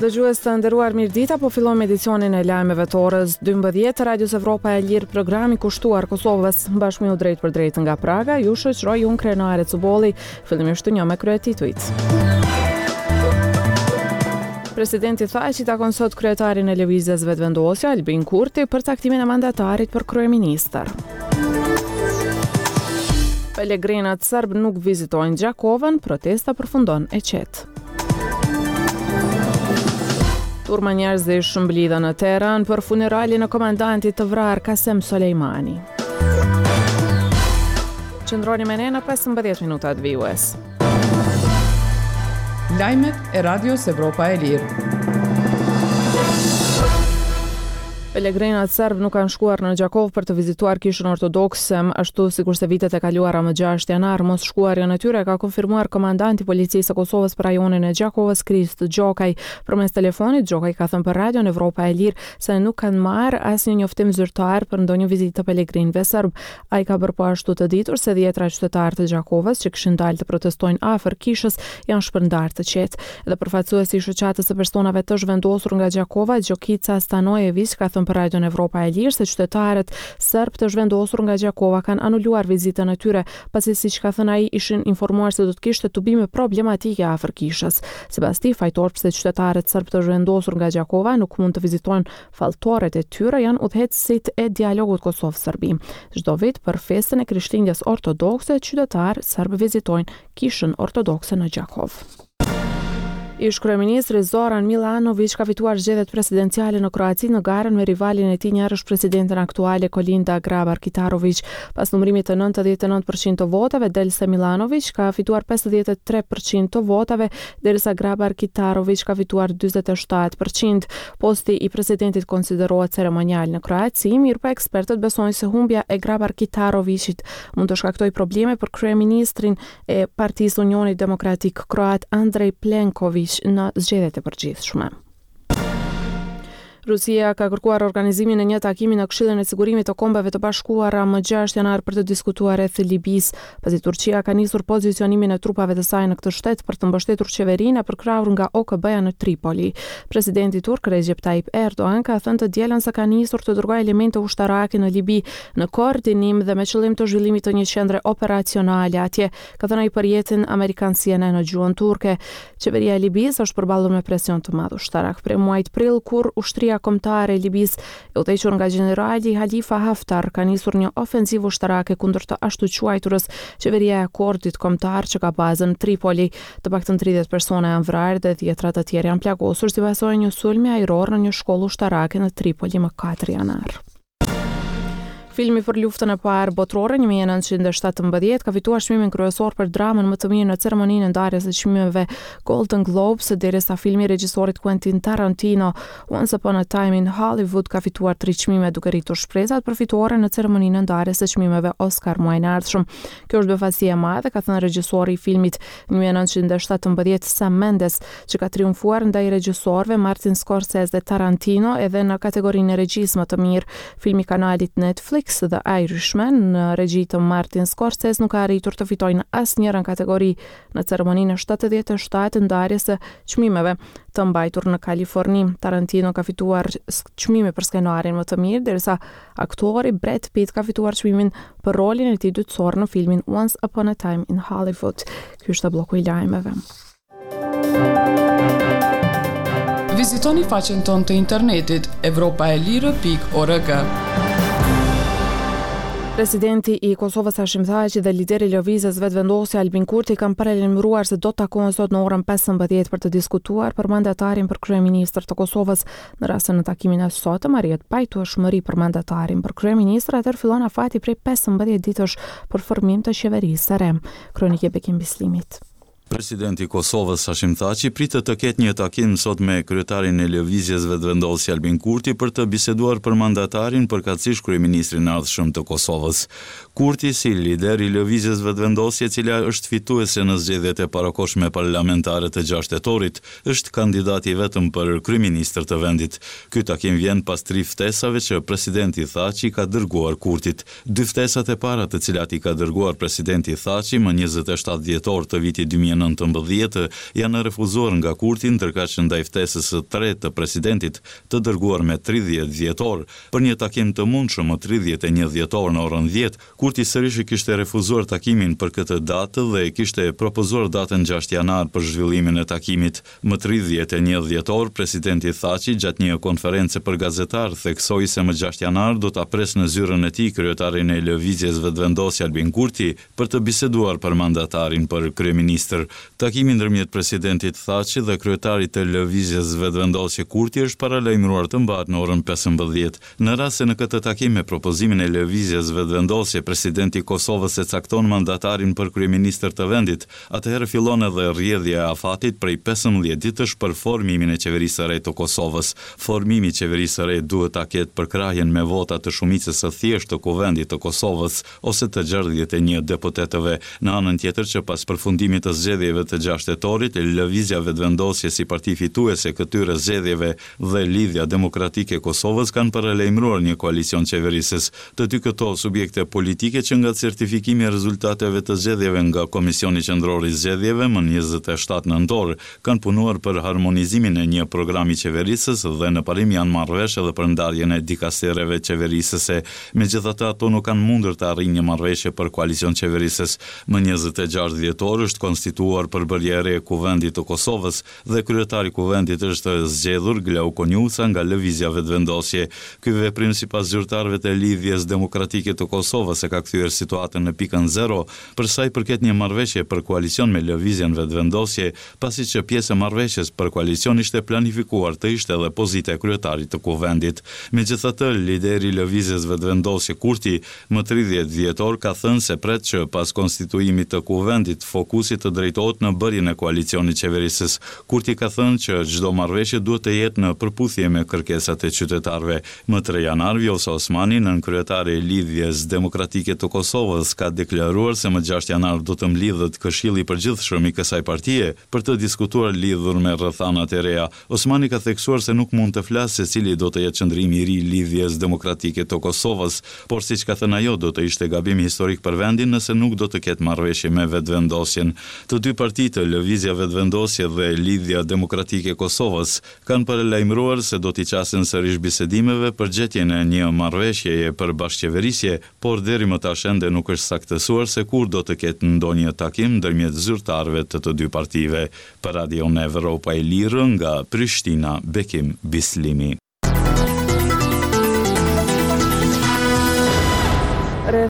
Dëgjues të nderuar mirëdita, po fillojmë edicionin e lajmeve të orës 12 të Radios Evropa e Lirë, programi kushtuar Kosovës, bashkë me ju drejtpërdrejt nga Praga, ju shoqëroj unë Krenare Cubolli, fillimisht ju njoh me kryetitujt. Presidenti Thaçi takon sot kryetarin e Lëvizjes Vetëvendosje, Albin Kurti, për caktimin e mandatarit për kryeministër. Pelegrinët serbë nuk vizitojnë Gjakovën, protesta përfundon e qetë. Turma njerëzish mblidhen në Teheran për funeralin e komandantit të vrarë Kasem Soleimani. Qëndroni me ne në 15 minutat vijuese. Lajmet e Radios Evropa e Lirë. Pelegrinët serbë nuk kanë shkuar në Gjakovë për të vizituar kishën ortodokse, ashtu sikurse vitet e kaluara më 6 janar. Mosshkuarjen e tyre e ka konfirmuar komandanti i Policisë së Kosovës për rajonin e Gjakovës, Krist Gjokaj. Përmes telefonit, Gjokaj ka thënë për Radion Evropa e Lirë se nuk kanë marrë asnjë njoftim zyrtar për ndonjë vizitë të pelegrinëve serbë. Ai ka bërë po ashtu të ditur se dhjetëra qytetarë të Gjakovës që kishin dalë të protestojnë afër kishës janë shpërndarë të qetë. Dhe përfaqësuesi i shoqatës së personave të zhvendosur nga Gjakova, Gjokica Stanojeviq ka thënë për Radion Evropa e Lirë se qytetarët serbë të zhvendosur nga Gjakova kanë anuluar vizitën e tyre, pasi siç ka thënë ai ishin informuar se do të kishte tubime problematike afër kishës. Sipas tij, fajtorë pse qytetarët serbë të zhvendosur nga Gjakova nuk mund të vizitojnë Faltoret e tyre janë udhëheqësit e dialogut Kosovë-Serbi. Çdo vit për festën e Krishtlindjes ortodokse, qytetarë serbë vizitojnë Kishën Ortodokse në Gjakovë. Ish-kryeministri Zoran Milanoviq ka fituar zgjedhjet presidenciale në Kroaci në garën me rivalin e tij njëherësh presidenten aktuale Kolinda Grabar-Kitaroviq. Pas numërimit të 99 për qind të votave, del se Milanoviq ka fituar 53 për qind të votave, derisa Grabar-Kitaroviq ka fituar 47 për qind. Posti i presidentit konsiderohet ceremonial në Kroaci, mirëpo ekspertët besojnë se humbja e Grabar-Kitaroviqit mund të shkaktojë probleme për kryeministrin e Partisë Unionit Demokratik Kroat Andrej Plenkoviq në zgjedhjet e përgjithshme. Rusia ka kërkuar organizimin e një takimi në Këshillin e Sigurimit të Kombeve të Bashkuara më 6 janar për të diskutuar rreth Libisë, pasi Turqia ka nisur pozicionimin e trupave të saj në këtë shtet për të mbështetur qeverinë e përkrahur nga OKB-ja në Tripoli. Presidenti turk Recep Tayyip Erdogan ka thënë të dielën se ka nisur të dërgojë elemente ushtarake në Libi në koordinim dhe me qëllim të zhvillimit të një qendre operacionale atje, ka thënë ai për rrjetin amerikan CNN në gjuhën turke. Qeveria e Libisë është përballur me presion të madh ushtarak prej muajit prill kur ushtria kombëtare e Libisë, e udhëhequr nga gjenerali Halifa Haftar, ka nisur një ofensivë ushtarake kundër të ashtuquajturës Qeveria e Akordit Kombëtar që ka bazën në Tripoli. Të paktën 30 persona janë vrarë dhe dhjetëra të tjerë janë plagosur si pasojë e një sulmi ajror në një shkollë ushtarake në Tripoli më 4 janar. Filmi për luftën e parë botërore 1917 ka fituar çmimin kryesor për dramën më të mirë në ceremoninë e ndarjes së çmimeve Golden Globes, derisa filmi i regjisorit Quentin Tarantino Once Upon a Time in Hollywood ka fituar tri çmime duke rritur shpresat për fitore në ceremoninë e ndarjes së çmimeve Oscar muajin e ardhshëm. Kjo është befasi e madhe, ka thënë regjisori i filmit 1917 Sam Mendes, që ka triumfuar ndaj regjisorëve Martin Scorsese dhe Tarantino edhe në kategorinë e regjisë më të mirë. Filmi i kanalit Netflix The Irishman në regji të Martin Scorsese nuk ka arritur të fitojë në asnjërën kategori në ceremoninë e 77 ndarjes së çmimeve të mbajtur në Kaliforni. Tarantino ka fituar çmimin për skenarin më të mirë, derisa aktori Brad Pitt ka fituar çmimin për rolin e tij dytësor në filmin Once Upon a Time in Hollywood. Ky është blloku i lajmeve. Vizitoni faqen tonë të internetit evropaelire.org. Presidenti i Kosovës Hashim Thaçi dhe lideri i Lëvizjes Vetëvendosje Albin Kurti kanë paralajmëruar se do të takohen sot në orën 15 për të diskutuar për mandatarin për kryeministër të Kosovës. Në rast se në takimin e sotëm arrihet pajtueshmëri për mandatarin për kryeministër, atëherë fillon afati prej 15 ditësh për formim të qeverisë së re. Kronikë e Bekim Bislimit. Presidenti i Kosovës, Hashim Thaçi, pritet të ketë një takim sot me kryetarin e Lëvizjes Vetëvendosje, Albin Kurti, për të biseduar për mandatarin, përkatësisht kryeministrin e ardhshëm të Kosovës. Kurti, si lider i Lëvizjes Vetëvendosje, e cila është fituese në zgjedhjet e parakohshme parlamentare të gjashtë tetorit, është kandidati i vetëm për kryeministër të vendit. Ky takim vjen pas tri ftesave që presidenti Thaçi i ka dërguar Kurtit. Dy ftesat e para të cilat i ka dërguar presidenti Thaçi më 27 dhjetor të vitit 2019. 2019 janë refuzuar nga Kurti, ndërkaq ndaj ftesës së tretë të presidentit, të dërguar me 30 dhjetor, për një takim të mundshëm më 31 dhjetor në orën 10, Kurti sërish e kishte refuzuar takimin për këtë datë dhe kishte propozuar datën 6 janar për zhvillimin e takimit. Më 31 dhjetor, presidenti Thaçi gjatë një konference për gazetarë theksoi se më 6 janar do ta presë në zyrën e tij kryetarin e Lëvizjes Vetëvendosje Albin Kurti për të biseduar për mandatarin për kryeministër. Takimi ndërmjet presidentit Thaçi dhe kryetarit të Lëvizjes Vetëvendosje Kurti është paralajmëruar të mbahet në orën 15. Në rast se në këtë takim me propozimin e Lëvizjes Vetëvendosje presidenti i Kosovës e cakton mandatarin për kryeministër të vendit, atëherë fillon edhe rrjedhja e afatit prej 15 ditësh për formimin e qeverisë së re të Kosovës. Formimi i qeverisë së re duhet ta ketë përkrahjen me vota të shumicës së thjeshtë të Kuvendit të Kosovës ose të 61 deputetëve. Në anën tjetër që pas përfundimit të zgjedhjeve të 6 tetorit, Lëvizja Vetëvendosje si parti fituese e këtyre zgjedhjeve dhe Lidhja Demokratike e Kosovës kanë paralajmëruar një koalicion qeverisës. Të dy këto subjekte politike që nga certifikimi i rezultateve të zgjedhjeve nga Komisioni Qendror i Zgjedhjeve më 27 nëntor, kanë punuar për harmonizimin e një programi qeverisës dhe në parim janë marrë vesh edhe për ndarjen e dikastereve qeverisëse. Megjithatë, ato nuk kanë mundur të arrijnë një marrëveshje për koalicion qeverisës. Më 26 dhjetor është konstituuar përbërja e re e Kuvendit të Kosovës, dhe kryetari i Kuvendit është zgjedhur Glauk Konjufca nga Lëvizja Vetëvendosje. Ky veprim sipas zyrtarëve të Lidhjes Demokratike të Kosovës e ka kthyer situatën në pikën zero për sa i përket një marrëveshje për koalicion me Lëvizjen Vetëvendosje, pasi që pjesë e marrëveshjes për koalicion ishte planifikuar të ishte edhe pozita e kryetarit të Kuvendit. Megjithatë, lideri i Lëvizjes Vetëvendosje Kurti Më 30 dhjetor ka thënë se pret që pas konstituimit të Kuvendit, fokusi të drejtohet në bërjen e koalicionit qeverisës. Kurti ka thënë që çdo marrëveshje duhet të jetë në përputhje me kërkesat e qytetarëve. Më 3 janar, Vjosa Osmani, nënkryetare e Lidhjes Demokratike të Kosovës, ka deklaruar se më 6 janar do të mblidhet Këshilli i Përgjithshëm i kësaj partie për të diskutuar lidhur me rrethanat e reja. Osmani ka theksuar se nuk mund të flasë se cili do të jetë qëndrimi i ri i Lidhjes Demokratike të Kosovës, por siç ka thënë ajo, do të ishte gabim historik për vendin nëse nuk do të ketë marrëveshje me Vetëvendosjen. Të dy partitë, Lëvizja Vetëvendosje dhe Lidhja Demokratike e Kosovës, kanë paralajmëruar se do t'i qasen sërish bisedimeve për gjetjen e një marrëveshjeje për bashkëqeverisje, por deri më tash ende nuk është saktësuar se kur do të ketë ndonjë takim ndërmjet zyrtarëve të të dy partive. Për Radion Evropa e Lirë nga Prishtina, Bekim Bislimi.